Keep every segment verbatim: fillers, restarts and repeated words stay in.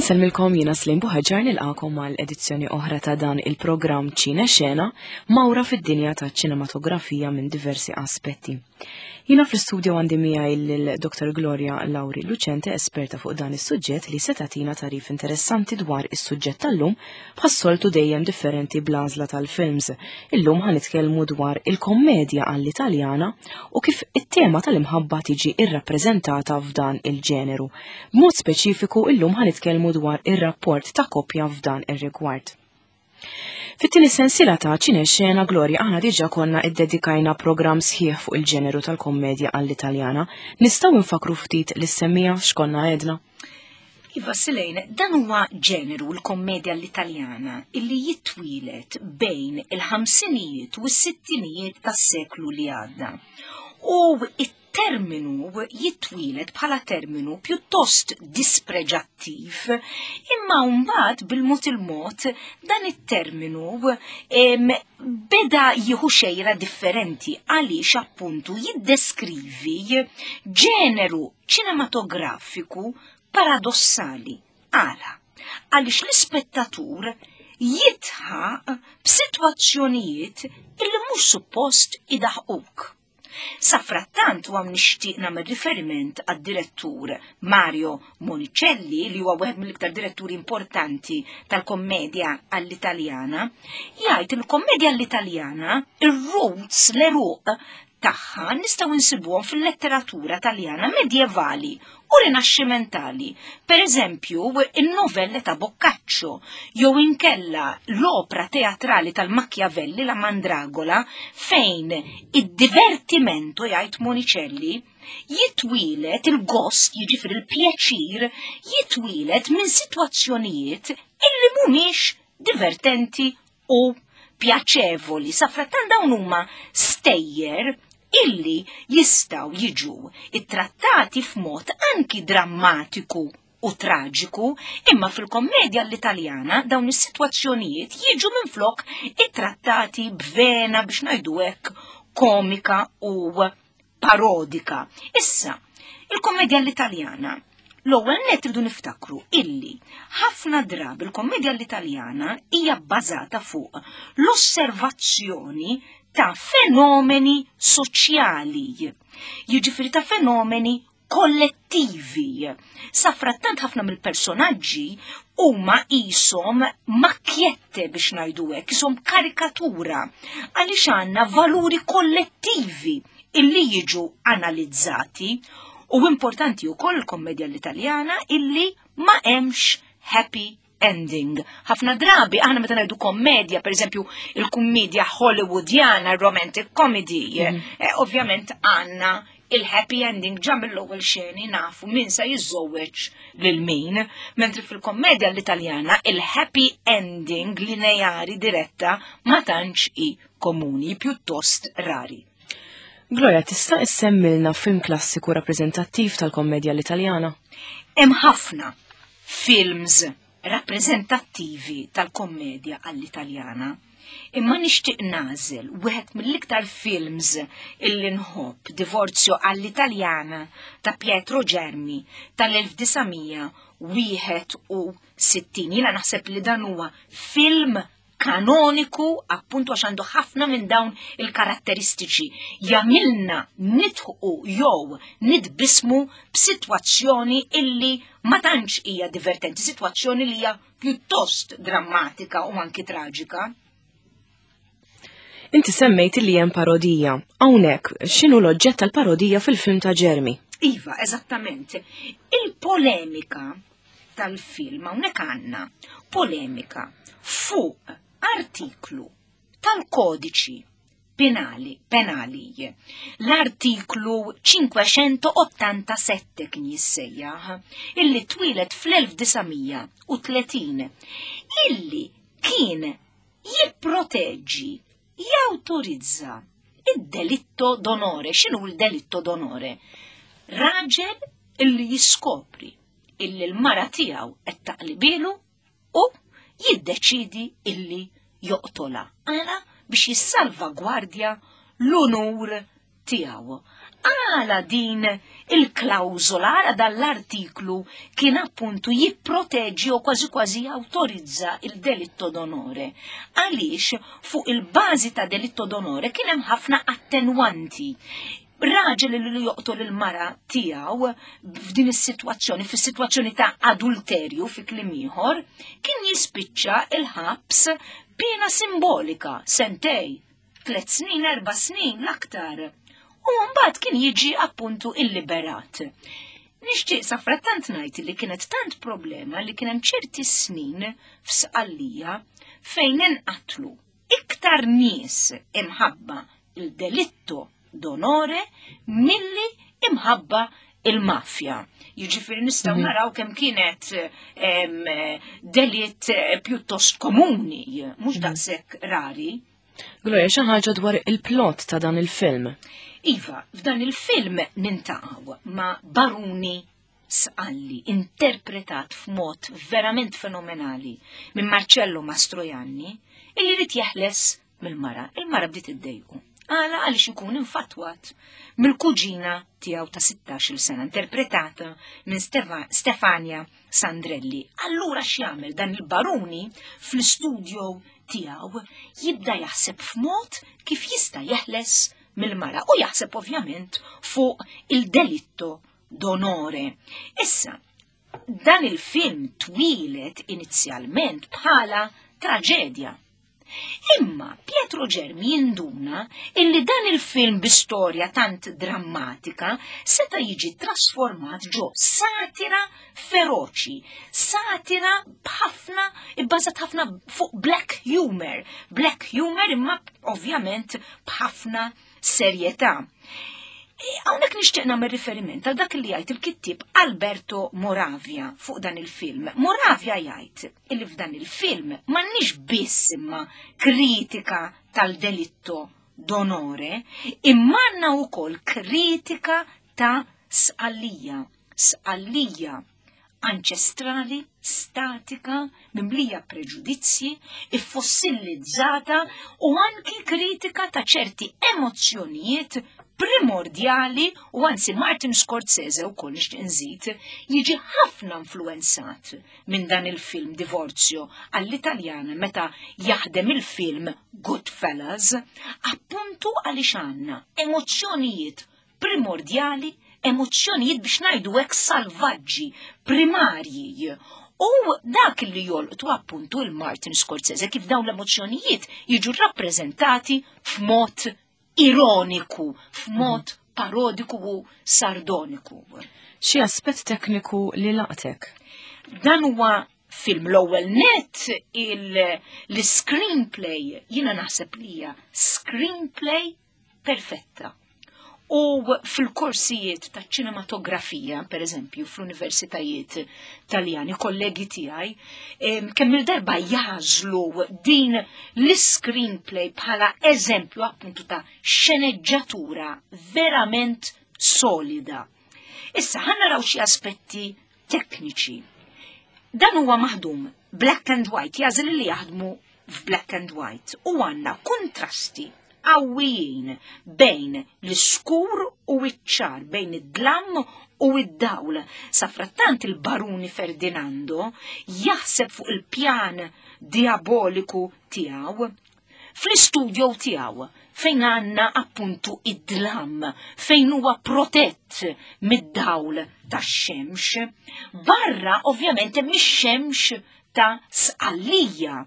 Insellmilkom, jiena Slim Buħaġar, nilqagħkom għal edizzjoni oħra ta' dan il-programm Ċine Xena, mawra fid-dinja ta' ċinematografija minn diversi aspetti. Jiena fl-studio għandi miegħi lil Doctor Gloria Lauri Lucente, esperta fuq dan is-suġġett, li se tagħtina tagħrif interessanti dwar is-suġġett tal-lum, bħas-soltu dejjem differenti bl-għażla tal-films. Illum ħa nitkellmu dwar il-kommedja għall-Italjana u kif it-tema tal-imħabba tiġi irrappreżentata f'dan il-ġeneru. B'mod speċifiku, illum ħa nitkellmu dwar ir-rapport ta' koppja f'dan ir-rigward. Fit-tieni sensiela ta' Ċine Xena, Gloria, aħna diġà konna iddedikajna programm sħiħ fuq il-ġeneru tal-kommedja għall-Italjana. Nistgħu nfakru ftit lis-semmiegħa x'konna għedna? Iva Silejn, dan huwa ġeneru, l-kommedja l-Italjana, illi jitwilet bejn il-ħamsinijiet u s-sittinijiet tas-seklu li għadda. U it-terminu jitwilet bħala terminu pjuttost dispreġattiv, imma mbagħad bil-mod il-mod dan it-terminu em, beda jieħu xejra differenti għaliex appuntu jiddeskrivi ġeneru ċinematografiku paradossali. Għala? Għaliex l-ispettatur jidħaq b'sitwazzjonijiet illi mhux suppost idaħquk. Safrattant u għam nixtieq nagħmel riferiment għad-direttur Mario Monicelli, li huwa wieħed mill-iktar diretturi importanti tal-kommedja għall-Italjana, jgħid il-kommedja għall-Italjana, ir-roots, l-għeruq tagħha nistgħu nsibuhom fil-letteratura taljana medjevali u rinaxximentali. Per eżempju, in-novelle ta' Boccaccio, jew inkella l-opra teatrali tal-Machiavelli, La Mandragola, fejn id-divertimento, jgħid Monicelli, jitwilet il-gost, jiġifieri il-pjaċir, jitwilet minn sitwazzjonijiet illi mhumiex divertenti u pjaċevoli. Safrattant dawn huma stejjer illi jistgħu jiġu ittrattati f'mod anki drammatiku u traġiku, imma fil-kommedja l-Italjana dawn is-sitwazzjonijiet jiġu minflok ittrattati b'vena, biex ngħidu hekk, komika u parodika. Issa, il-kommedja l-Italjana, l-ewwel net irridu niftakru illi ħafna drabi il-kommedja l-Italjana hija bbażata fuq l-osservazzjoni ta' fenomeni soċjali, jiġifieri ta' fenomeni kollettivi. Safrattant ħafna mill-personaġġi huma qishom makkjette, biex ngħidu hekk, qishom karikatura, għaliex għandna valuri kollettivi illi jiġu analizzati. U importanti wkoll il-kommedja l-Italjana illi ma hemmx happy ending. Ħafna drabi aħna meta ngħidu kommedja, per eżempju il-kummedja Hollywoodiana, romantic comedy, mm. eh, ovvjament għandna il-happy ending, ġa mill-ewwel xeni nafu min sa jiżżewweġ lil min, mentri fil-kommedja l-Italjana il-happy ending lineari diretta ma tantx hi komuni, pjuttost rari. Gloria, tista' issemmilna film klassiku rappreżentattiv tal-kommedja l-Italjana? Hemm ħafna films rappreżentattivi tal-kommedja għall-Italjana. Imma nixtieq nagħżel wieħed mill-iktar films illi nħobb, Divorzio all'Italiana ta' Pietro Germi tal-elf disa' mija wieħed u sittin. Jiena naħseb li dan huwa film kanoniku appuntu għax għandu ħafna minn dawn il-karatteristiċi. Jagħmilna nidħqu jew nitbismu b'sitwazzjoni illi ma tantx hija divertenti, sitwazzjoni li hija pjuttost drammatika u anki traġika. Inti semmejt li hemm parodija. Hawnhekk, x'inhu l-oġġett tal-parodija fil-film ta' Germi? Iva, eżattament. Il-polemika tal-film, hawnhekk għandna polemika fuq artiklu tal-kodiċi penali, penali. L-artiklu ċinkweċento ottantasette kien jissejjaħ, illi twilet fl-elf disa' mija u tletin, illi kien jipproteġġi, jawtorizza id-delitto d'onore. X'inhu l-delitto d'onore? Raġel illi jiskopri illi l-mara tiegħu qed taqlibilu u jiddeċidi illi joqtola. Għala? Biex jissalvagwardja l-unur tiegħu. Għala din il-klawżola, għala dall-artiklu kien appuntu jipproteġi u kważi kważi jawtorizza il-delitto d'onore. Għaliex fuq il-bażi ta' delitto d'onore kien hemm ħafna attenwanti. Raġel li joqtol il-mara tiegħu f'din is-sitwazzjoni, fis-sitwazzjoni ta' adulterju fi kliem ieħor, kien jispiċċa il-ħabs piena simbolika, sentej, tliet snin, erba' snin l-aktar. U mbagħad kien jiġi appuntu illiberat. Nixtieq safrattant ngħid li kienet tant problema li kien hemm ċerti snin f'Sqallija fejn inqatlu iktar nies imħabba il-delitto d'onore milli imħabba il-mafja. Jiġifieri nistgħu naraw kemm kienet em, delitt eh, pjuttost komuni, mhux daqshekk rari. Gloria, xi ħaġa dwar il-plot ta' dan il-film. Iva, f'dan il-film niltaqgħu ma' Baruni Sqalli, interpretat f'mod verament fenomenali minn Marcello Mastroianni, illi jrid jeħles mill-mara. Il-mara bdiet iddejqu. Għala għaliex ikun infatwat mill-kuġina tiegħu ta' sittax-il sena, interpretata minn Steva- Stefania Sandrelli. Allura x'jagħmel dan il-baruni fl-istudio tiegħu? Jibda jaħseb f'mod kif jista' jeħles mill-mara u jaħseb ovvjament fuq il-delitto d'onore. Issa, dan il-film twieled inizjalment bħala traġedja. Imma Pietro Germi jinduna illi dan il-film bi storja tant drammatika seta jiġi trasformat ġo satira feroċi, satira b'ħafna, ibbażat ħafna fuq black humor, black humor imma ovvjament b'ħafna serjetà. E, hawnhekk nixtieq nagħmel riferiment għal dak li jgħid il-kittieb Alberto Moravia fuq dan il-film. Moravia jgħid illi f'dan il-film m'għandniex biss imma kritika tal-delitto d'onore, imma għandna wkoll kritika ta' Sqallija, Sqallija anċestrali, statika, mimlija preġudizzji, iffossillizzata u anki kritika ta' ċerti emozzjonijiet primordjali u anzi Martin Scorsese u koll nixtieq nżid jiġi ħafna influenzat minn dan il-film Divorzio għall-Italjana meta jaħdem il-film Goodfellas, appuntu għaliex għandna emozzjonijiet primordjali, emozzjonijiet biex ngħidu hekk salvaġġi, primarji. U dak li jolqtu appuntu il-Martin Scorsese kif dawn l-emozzjonijiet jiġu rappreżentati f'mod ironiku, f'mod parodiku u sardoniku. Xi aspett tekniku li laqtek? Dan huwa film l-ewwel net l-screenplay, jiena naħseb li hija screenplay perfetta. U fil-korsijiet ta' ċinematografija, per eżempju, fl-universitajiet taljani, kollegi tiegħi, kemm il-darba jagħżlu din l-screenplay bħala eżempju appuntu ta' xeneġġatura verament solida. Issa, ħa naraw xi aspetti tekniċi. Dan huwa maħdum black and white, jagħżel li jaħdmu f'black and white, u għandna kontrasti qawwijin bejn l-iskur u iċ-ċar, bejn id-dlam u id-dawl. Safrattant il-Baruni Ferdinando jaħseb fuq il-pjan diaboliku tiegħu fl-istudio tiegħu fejn għandna appuntu id-dlam, fejn huwa protett mid-dawl tax-xemx. Barra ovvjament hemm ix-xemx ta' Sqallija.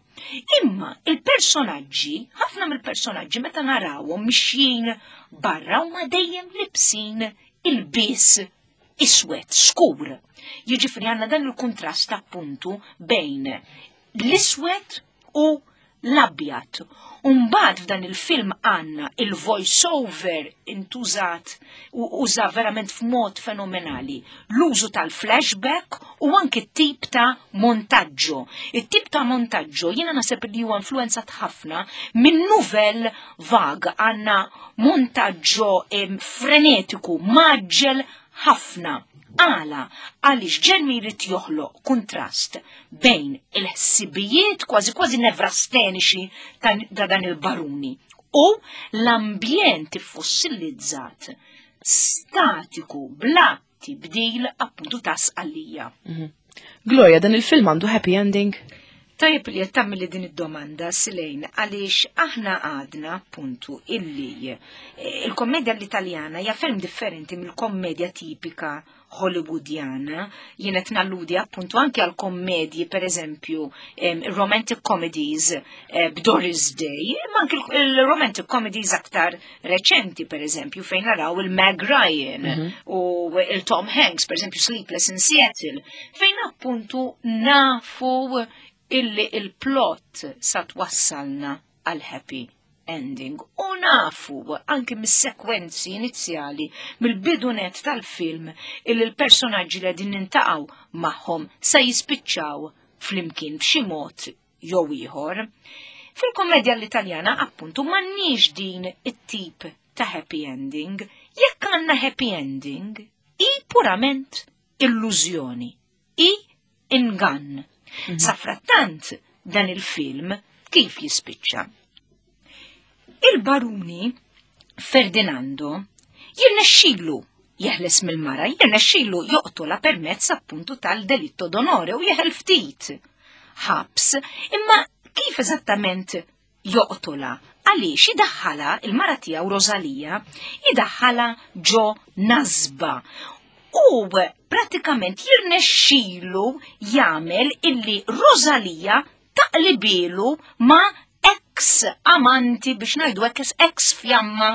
Imma il-personaġġi, ħafna mill-personaġġi meta narawhom mixjin barra huma dejjem libsin ilbies iswed, skur. Jiġifieri għandna dan il-kuntrast appuntu bejn l-iswed u l-abjad. Umbagħad f'dan il-film għandna il-voice-over intużat u uża verament f'mod fenomenali. L-użu tal-flashback u anki t-tip ta' montaġġo. Il-tip ta' montaġġo jiena naħseb li huwa influenzat ħafna minn nouvelle vague. Għandna montaġġo frenetiku, mgħaġġel ħafna. Għala, għaliex Germi jrid joħloq kontrast bejn il-ħsibijiet kważi kważi nevrasteniċi ta' dan il-baruni u l-ambjent fossilizzat statiku bla tibdil appuntu ta' Sqallija. Mhm. Gloria, dan il-film għandu happy ending? Tajjeb li qed tagħmel din id-domanda, Silejn, għaliex aħna għadna appuntu illi eh, il-kommedja l-Italjana hija ferm differenti mill-kommedja tipika hollywoodiana. Jien qed nalludi appuntu anke għal kommedji, per eżempju, romantic comedies eh, b'Doris Day, ma anke il-romantic comedies aktar reċenti, per eżempju, fejn naraw il-Meg Ryan mm -hmm. u il-Tom Hanks, per eżempju, Sleepless in Seattle, fejn appuntu nafu illi il-plot sa twassalna għal happy ending. U nafu anke mis-sekwenzi inizjali, mill-bidunet tal-film, illi l-personaġġi li din niltaqgħu magħhom sa jispiċċaw flimkien b'xi mod jew ieħor. Fil-kommedja l-Italjana appuntu m'għandniex din it-tip ta' happy ending. Jekk għandna happy ending, hi purament illużjoni, hi ingann. Mhm. Safrattant dan il-film kif jispiċċa? Il-baruni Ferdinando jirnexxilu jeħles mill-mara, jirnexxilu joqtola permezz appuntu tal-delitto d'onore u jeħel ftit ħabs, imma kif eżattament joqtola? Għaliex idaħħala il-mara tiegħu Rosalia, idaħħala ġo nasba u pratikament jirnexxilu jagħmel illi Rosalia taqlibilu ma' ex amanti, biex ngħidu hekk, ex fjamma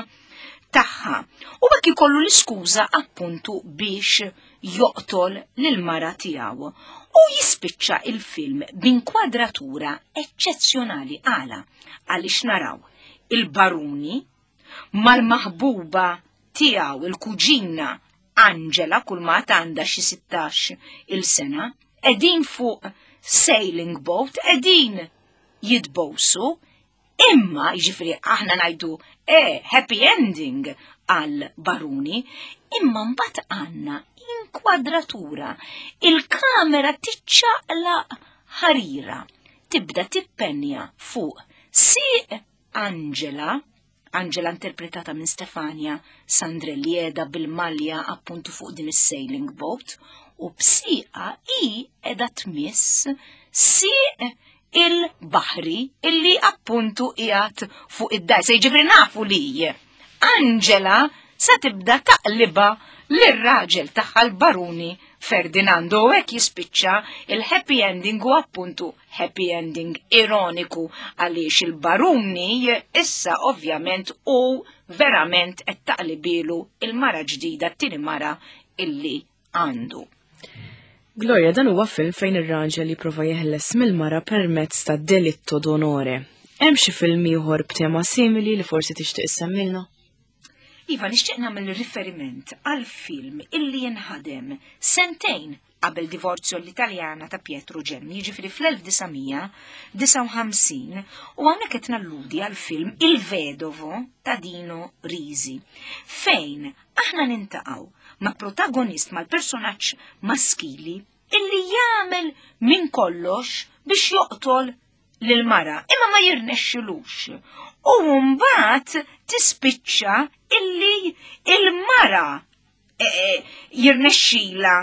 tagħha. U hekk ikollu l-iskuża appuntu biex joqtol lil mara tiegħu. U jispiċċa il-film b'inkwadratura eċċezzjonali. Għala? Għaliex naraw il-baruni mal-maħbuba tiegħu, il-kuġina Angela, kull ma għandha xi sittax il-sena, qegħdin fuq sailing boat, qegħdin jitbowsu, imma jiġifieri aħna ngħidu e happy ending għal baruni, imma mbagħad għandna inkwadratura, il-kamera tiċċaqlaq ħarira, tibda tippenja fuq sieq Angela, Angela interpretata minn Stefania Sandrelli, qiegħda bil-malja appuntu fuq din is-sailing boat, u b'sieqha hi qiegħda tmiss sieq il-baħri illi appuntu qiegħed fuq id-dgħajsa. Jiġifieri nafu li Angela sa tibda taqliba lir-raġel tagħha, l-baruni Ferdinando, u hekk jispiċċa il-happy ending, u appuntu happy ending ironiku, għaliex il-baruni issa ovvjament u verament qed taqlibilu il-mara ġdida, t-tieni mara illi għandu. Gloria, dan huwa film fejn ir-raġel jipprova jeħles mill-mara permezz ta' delitto d'onore. Hemm xi film ieħor b'tema simili li forsi tixtieq issemmilna? Iva, nixtieq nagħmel riferiment għal film illi jinħadem sentejn qabel Divorzio l-Italjana ta' Pietro Germi, jiġifieri fl-elf disa' mija disgħa u ħamsin, u hawnhekk qed nalludi għal film Il Vedovo ta' Dino Risi, fejn aħna niltaqgħu ma' protagonist, mal-personaġġ maskili illi jagħmel minn kollox biex joqtol lil-mara, imma ma jirnexxilux. U mbagħad tispiċċa illi il-mara e, e, jirnexxila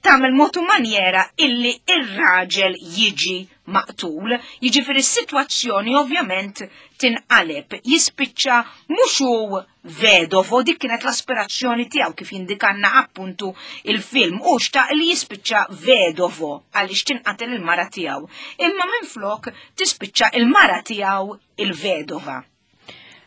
tagħmel mod u manjera illi ir-raġel jiġi maqtul, jiġifieri s-sitwazzjoni ovvjament tinqaleb, jispiċċa mhux hu vedovo, dik kienet l-aspirazzjoni tiegħu kif jindikanna appuntu il-film, u xtaq li jispiċċa vedovo għaliex tinqatel il-mara tiegħu. Imma minflok tispiċċa il-mara tiegħu il-vedova.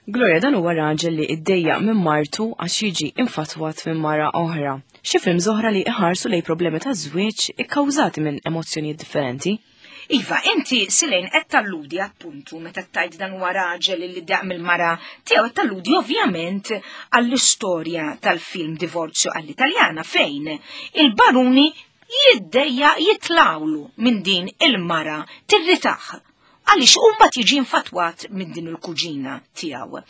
Gloria, dan huwa raġel li iddejjaq minn martu għax jiġi infatwat minn mara oħra. Xi films oħra li iħarsu lej problemi ta' żwieġ ikkawżati minn emozzjonijiet differenti? Iva, inti, Silejn, qed talludi appuntu meta tgħid dan huwa raġel li ddejjaq mill-mara tiegħu, qed talludi ovvjament għall-istorja tal-film Divorzio all'Italjana, fejn il-baruni jiddejjaq, jitlagħlu minn din il-mara, tirritah għaliex mbagħad jiġi infatwat minn din il-kuġina tiegħu.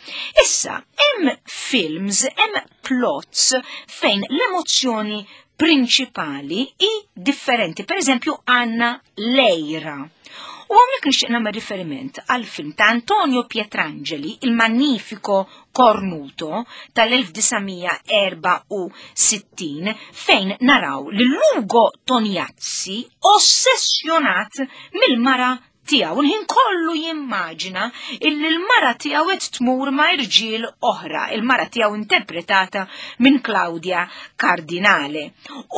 Issa, hemm films, hemm plots fejn l-emozzjoni prinċipali hi differenti. Per eżempju, għandna L-Għira. U hawnhekk nixtieq nagħmel riferiment għal film ta' Antonio Pietrangeli, Il Magnifico Cornuto tal-elf disa' mija erba' u sittin, fejn naraw lil Ugo Tognazzi ossessjonat mill-mara tiegħu. Il-ħin kollu jimmaġina illi l-mara tiegħu qed tmur ma' irġiel oħra, il-mara tiegħu interpretata minn Claudia Cardinale.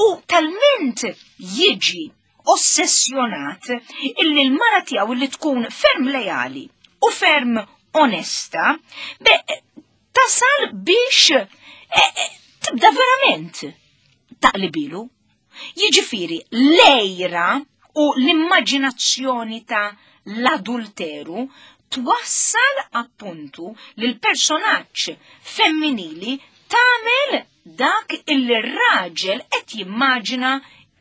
U talment jiġi ossessjonat illi l-mara tiegħu li tkun ferm lejali u ferm onesta, be, tasal biex, eh, eh, tibda verament taqlibilu. Jiġifieri lejra u l-immaġinazzjoni ta' l-adulteru twassal appuntu lil personaġġ femminili tagħmel dak illi r-raġel qed jimmaġina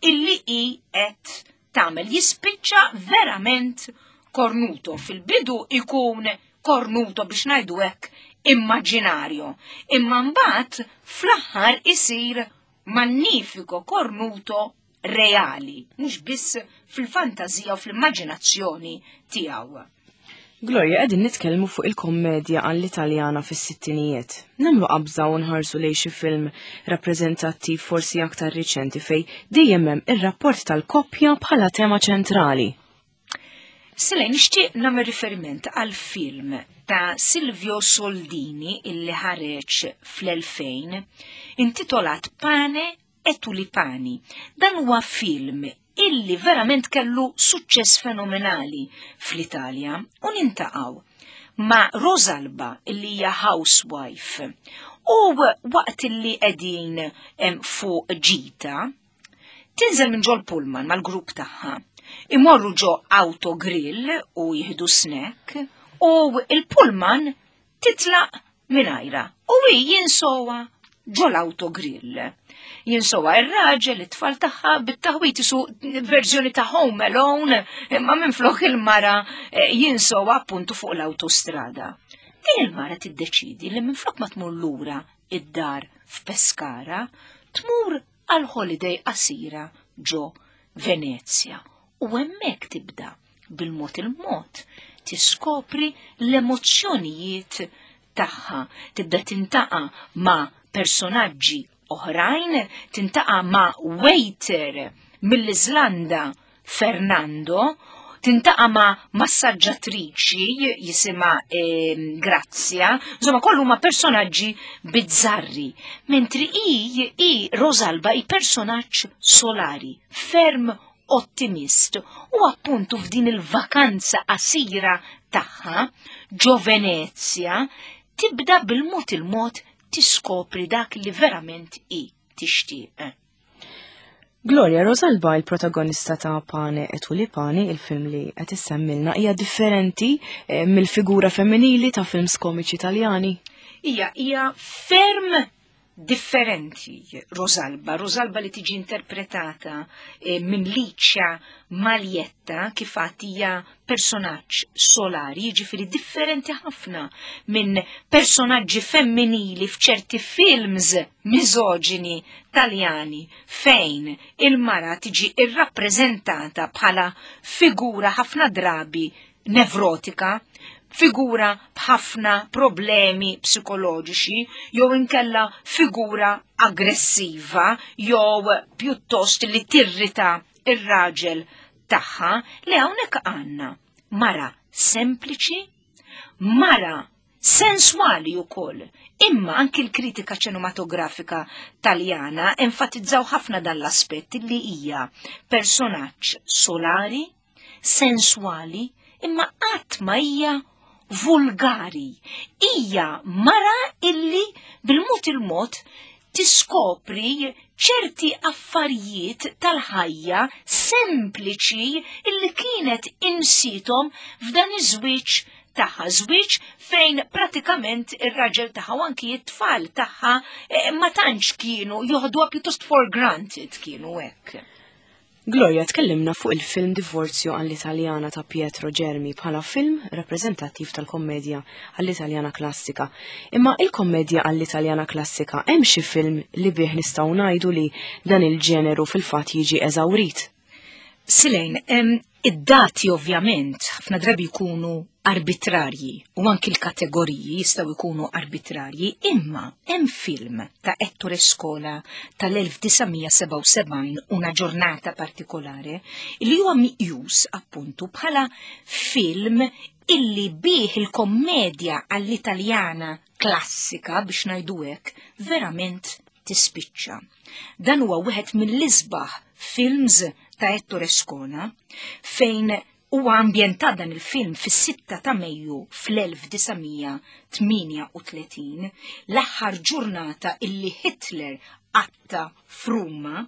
illi hi qed tagħmel. Jispiċċa verament kornuto. Fil-bidu ikun kornuto biex ngħidu hekk immaġinarju, imma mbagħad fl-aħħar isir magnifico cornuto reali, mhux biss fil-fantażija u fl-immaġinazzjoni tiegħu. Gloria, qegħdin nitkellmu fuq il-kommedja għall-Italjana fis-sittinijiet. Nagħmlu qabża u nħarsu lejn xi film rappreżentattiv forsi aktar riċenti fej dejjem hemm ir-rapport tal-koppja bħala tema ċentrali. Sile, nixtieq nagħmel riferiment għal film ta' Silvio Soldini illi ħareġ fl-elfejn intitolat Pane e Tulipani. Dan huwa film illi verament kellu suċċess fenomenali fl-Italja u nintaqgħu ma' Rosalba illi hija housewife u waqt illi qegħdin, em, fuq ġita tinżel minn ġol pullman mal-grupp tagħha. Imorru ġo autogrill u jieħdu snack u il-pullman titlaq mingħajra u hi jinsowa ġo l-autogrill. Jinsowa ir-raġel, it-tfal tagħha bit-taħwit isu verżjoni ta' Home Alone, imma minflok il-mara, eh, jinsowa appuntu fuq l-autostrada. Din il-mara tiddeċidi li minflok ma tmur lura id-dar f'Pescara, tmur għal holiday qasira ġo Venezja. U hemmhekk tibda bil-mod il-mod tiskopri l-emozzjonijiet tagħha, tibda tintaqa' ma' personaġġi oħrajn, tintaqa' ma' waiter mill-Iżlanda Fernando, tintaqa' ma' massaġġatriċi jisimha, ehm, Grazia, insomma kollu ma' personaġġi bizzarri, mentri hi, hi Rosalba hi personaġġ solari, ferm ottimist, u appuntu f'din il-vakanza qasira tagħha ġo Venezja tibda bil-mod il-mod tiskopri dak li verament hi tixtieq. Gloria, Rosalba, il-protagonista ta' Pane e Tulipani, il-film li qed issemmilna, hija differenti, eh, mill-figura femminili ta' films komiċi Italjani? Hija, hija ferm differenti Rosalba. Rosalba li tiġi interpretata, eh, minn Licia Maglietta, kif għad hija personaġġ solari, jiġifieri differenti ħafna minn personaġġi femminili f'ċerti films misoġini Taljani fejn il-mara tiġi irrappreżentata bħala figura ħafna drabi nevrotika, figura b'ħafna problemi psikoloġiċi, jew inkella figura aggressiva, jew pjuttost li tirrita ir-raġel tagħha, li hawnhekk għandna mara sempliċi, mara sensuali wkoll. Imma anki l-kritika ċinematografika Taljana enfatizzaw ħafna dan l-aspett li hija personaġġ solari, sensuali, imma qatt ma hija vulgari. Hija mara illi bil-mod il-mod tiskopri ċerti affarijiet tal-ħajja sempliċi illi kienet insithom f'dan iż-żwieġ tagħha, żwieġ fejn pratikament ir-raġel tagħha u anki t-tfal tagħha, eh, ma tantx kienu joħduha pjuttost for granted kienu hekk. Gloria, tkellimna fuq il-film Divorzio għall-Italjana ta' Pietro Germi bħala film rappreżentattiv tal-kommedja għall-Italjana klassika. Imma il-kommedja għall-Italjana klassika hemm xi film li bih nistgħu ngħidu li dan il-ġeneru fil-fatt jiġi eżawrit? Silejn, em, Id-dati ovvjament ħafna drabi jkunu arbitrarji u anki l-kategoriji jistgħu jkunu arbitrarji, imma hemm film ta' Ettore Scola tal-elf disa' mija sebgħa u sebgħin, Una giornata particolare, li huwa miqjus appuntu bħala film illi bih il-kommedja all'italiana klassika, biex ngħidu hekk, verament tispiċċa. Dan huwa wieħed mill-isbaħ films ta' Ettore Scola, fejn huwa ambjentat dan il-film fis-sitta ta' Mejju fl-elf disa' mija tmienja u tletin, l-aħħar ġurnata illi Hitler qatta f'Ruma,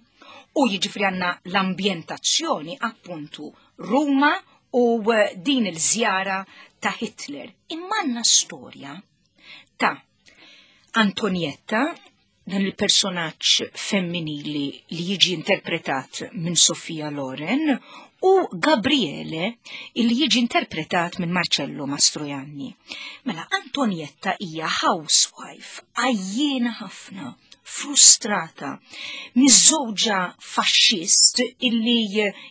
u jiġifieri għandna l-ambjentazzjoni appuntu Ruma u din il-żjara ta' Hitler. Imma għandna storja ta' Antonietta, dan il-personaġġ femminili li jiġi interpretat minn Sofia Loren, u Gabriele, illi jiġi interpretat minn Marcello Mastroianni. Mela, Antonietta hija housewife, għajjiena ħafna, frustrata, miżżewġa faxxist illi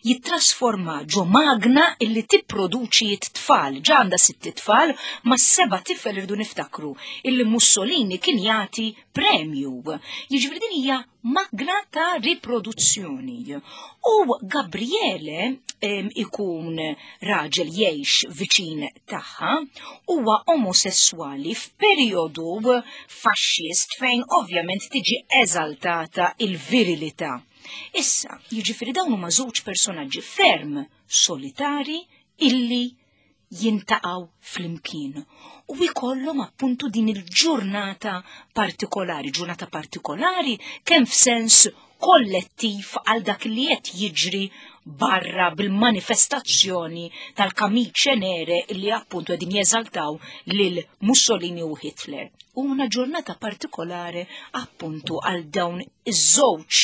jittrasforma ġo magna illi tipproduċi t-tfal. Ġa għandha sitt tfal, ma seba' tifel irdu niftakru illi Mussolini kien jagħti premju. Jiġifieri din hija magna ta' riproduzzjoni. U Gabriele ikun raġel jgħix viċin tagħha, huwa omosessuali f'perjodu faxxist fejn ovvjament tiġi eżaltata il-virilità. Issa, jiġifieri dawn huma żewġ personaġġi ferm solitari illi jiltaqgħu flimkien u jkollhom appuntu din il-ġurnata partikolari, ġurnata partikolari kemm f'sens kollettiv għal dak li qed jiġri barra bil-manifestazzjoni tal-camicie nere li appuntu qegħdin jeżaltaw lil Mussolini u Hitler. U una ġurnata partikolari appuntu għal dawn iż-żewġ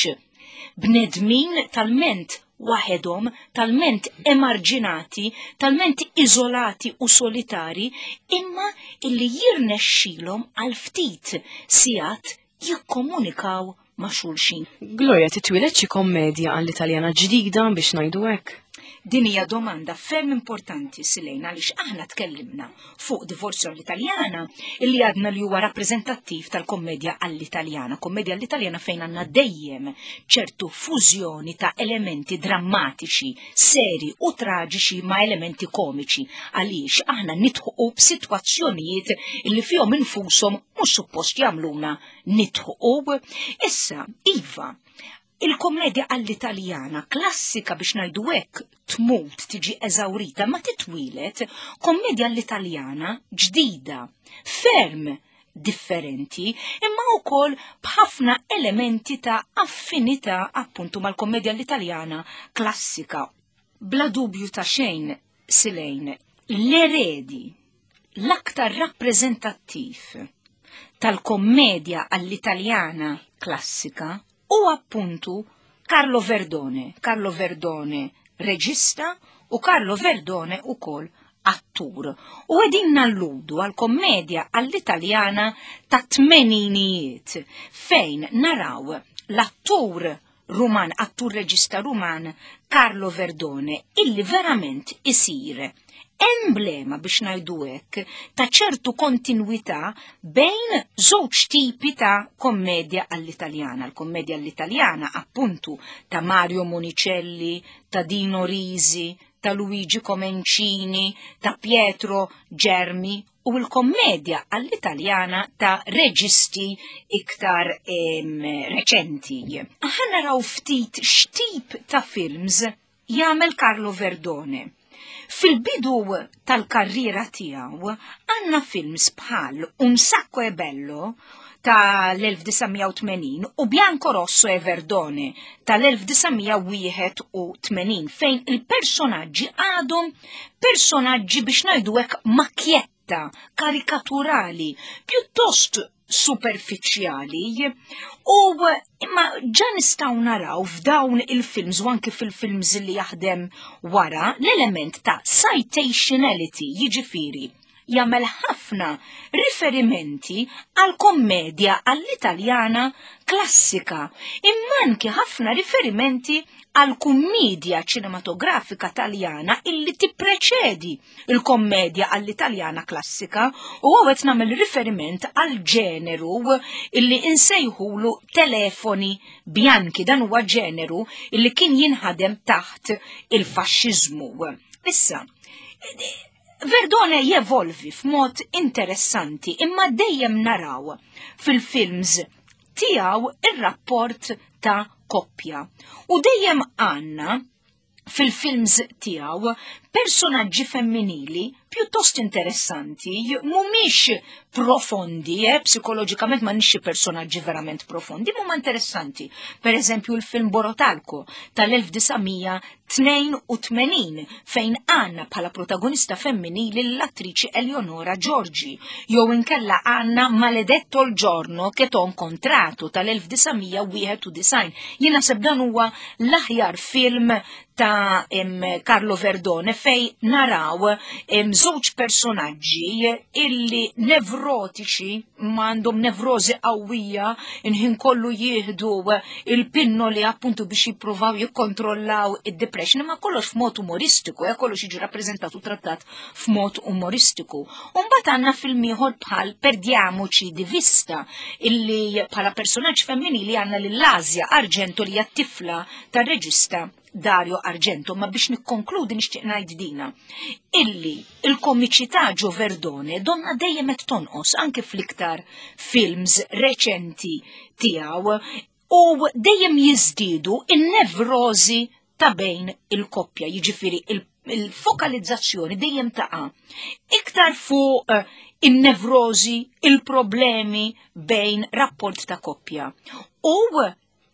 bnedmin talment waħedhom, talment emarġinati, talment izolati u solitari, imma illi jirnexxilhom għal ftit sigħat jikkomunikaw ma' xulxin. Gloria, titwieled xi kommedja għall-Italjana ġdida, biex ngħidu hekk? Din hija domanda ferm importanti, Silejna, għaliex aħna tkellimna fuq Divorzio all'Italiana, illi għadna li huwa rappreżentattiv tal-kommedja all'Italjana. Kommedja all'Italjana fejn għandna dejjem ċertu fużjoni ta' elementi drammatiċi, seri u traġiċi ma' elementi komiċi, għaliex aħna nidħqu b'sitwazzjonijiet illi fihom infushom mhux suppost jagħmluna nidħqu. Issa, iva, il-kommedja għall-Italjana klassika, biex ngħidu hekk, tmut, tiġi eżawrita, ma titwieled kommedja għall-Italjana ġdida, ferm differenti, imma wkoll b'ħafna elementi ta' affinità appuntu mal-kommedja l-Italjana klassika. Bla dubju ta' xejn, Silejn, l-eredi l-aktar rappreżentattiv tal-kommedja għall-Italjana klassika u appuntu Carlo Verdone. Carlo Verdone reġista u Carlo Verdone ukoll attur. U qegħdin nalludu għal-kommedja għall-Italjana ta' tmeninijiet fejn naraw l-attur Ruman, attur reġista Ruman Carlo Verdone, illi verament isir emblema, biex ngħidu hekk, ta' ċertu kontinwità bejn żewġ tipi ta' kommedja all'Italjana. L-kommedja all'Italjana appuntu ta' Mario Monicelli, ta' Dino Risi, ta' Luigi Comencini, ta' Pietro Germi, u l-kommedja all'Italjana ta' reġisti iktar em, reċenti. Aħna naraw ftit x'tip ta' films jagħmel Carlo Verdone. Fil-bidu tal-karriera tiegħu għandna films bħal Un sacco è bello tal-elf disa' mija u tmenin u Bianco Rosso e Verdone tal-elf disa' mija wieħed u tmenin, fejn il-personaġġi għadhom personaġġi, biex ngħidu hekk, makjetta, karikaturali, pjuttost superfiċjali, u imma ġa nistgħu naraw f'dawn il-films u anki fil-films li jaħdem wara l-element ta' citationality, jiġifieri jagħmel ħafna riferimenti għal kommedja għall-Italjana klassika, imma anki ħafna riferimenti għal kummedja ċinematografika Taljana illi tippreċedi il-kommedja għall-Italjana klassika, u għawet nagħmel riferiment għal ġeneru illi insejħulu telefoni bianchi. Dan huwa ġeneru illi kien jinħadem taħt il-faxxiżmu. Issa, Verdone jevolvi f'mod interessanti, imma dejjem naraw fil-films tiegħu ir-rapport ta' koppja. U dejjem għandna fil-films tiegħu personaġġi femminili pjuttost interessanti, mhumiex profondi, eh, psikoloġikament ma nixxi personaġġi verament profondi, huma interessanti. Per eżempju, il-film Borotalco tal-elf disa' mija tnejn u tmenin, fejn għandna bħala protagonista femminili l-attriċi Eleonora Giorgi, jew inkella għandna Maledetto il giorno che t'ho incontrato tal-elf disa' mija wieħed u disgħin. Jien naħseb dan huwa l-aħjar film ta' em, Carlo Verdone, fej naraw em, żewġ personaġġi illi nevrotiċi, ma għandhom nevrozi qawwija, inħin kollu jieħdu il-pinnoli appuntu biex jippruvaw jikkontrollaw id-depression, ma kollox f'mod umoristiku, eh, kollox jiġi rappreżentat u trattat f'mod umoristiku. Mbagħad għandna film ieħor bħal Perdiamoci di Vista, illi bħala personaġġ femminili għandna lil Asia Argento, li hija t-tifla tar-reġista Dario Argento. Ma biex nikkonkludi nixtieq ngħid dina, illi il-komiċità ġo Verdone donna dejjem qed tonqos anke fl-iktar films reċenti tiegħu, u dejjem jiżdiedu in-nevrozi ta' bejn il-koppja, jiġifieri il-fokalizzazzjoni dejjem taqa' iktar fuq eh, in-nevrozi, il-problemi bejn rapport ta' koppja. U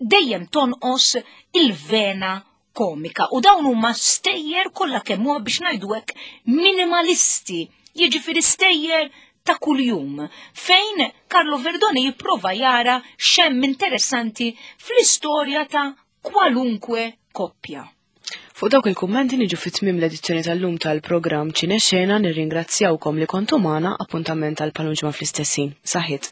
dejjem tonqos il-vena komika, u dawn huma stejjer kollha kemm huwa, biex ngħidu hekk, minimalisti, jiġifieri stejjer ta' kuljum, fejn Carlo Verdone jipprova jara x'hemm interessanti fl-istorja ta' kwalunkwe koppja. Fuq dawk il-kummenti niġu fit-tmim l-edizzjoni tal-lum tal-programm Ċinexena. Nirringrazzjawkom li kontu magħna. Appuntament għal palunġma fl-istessin. Saħit.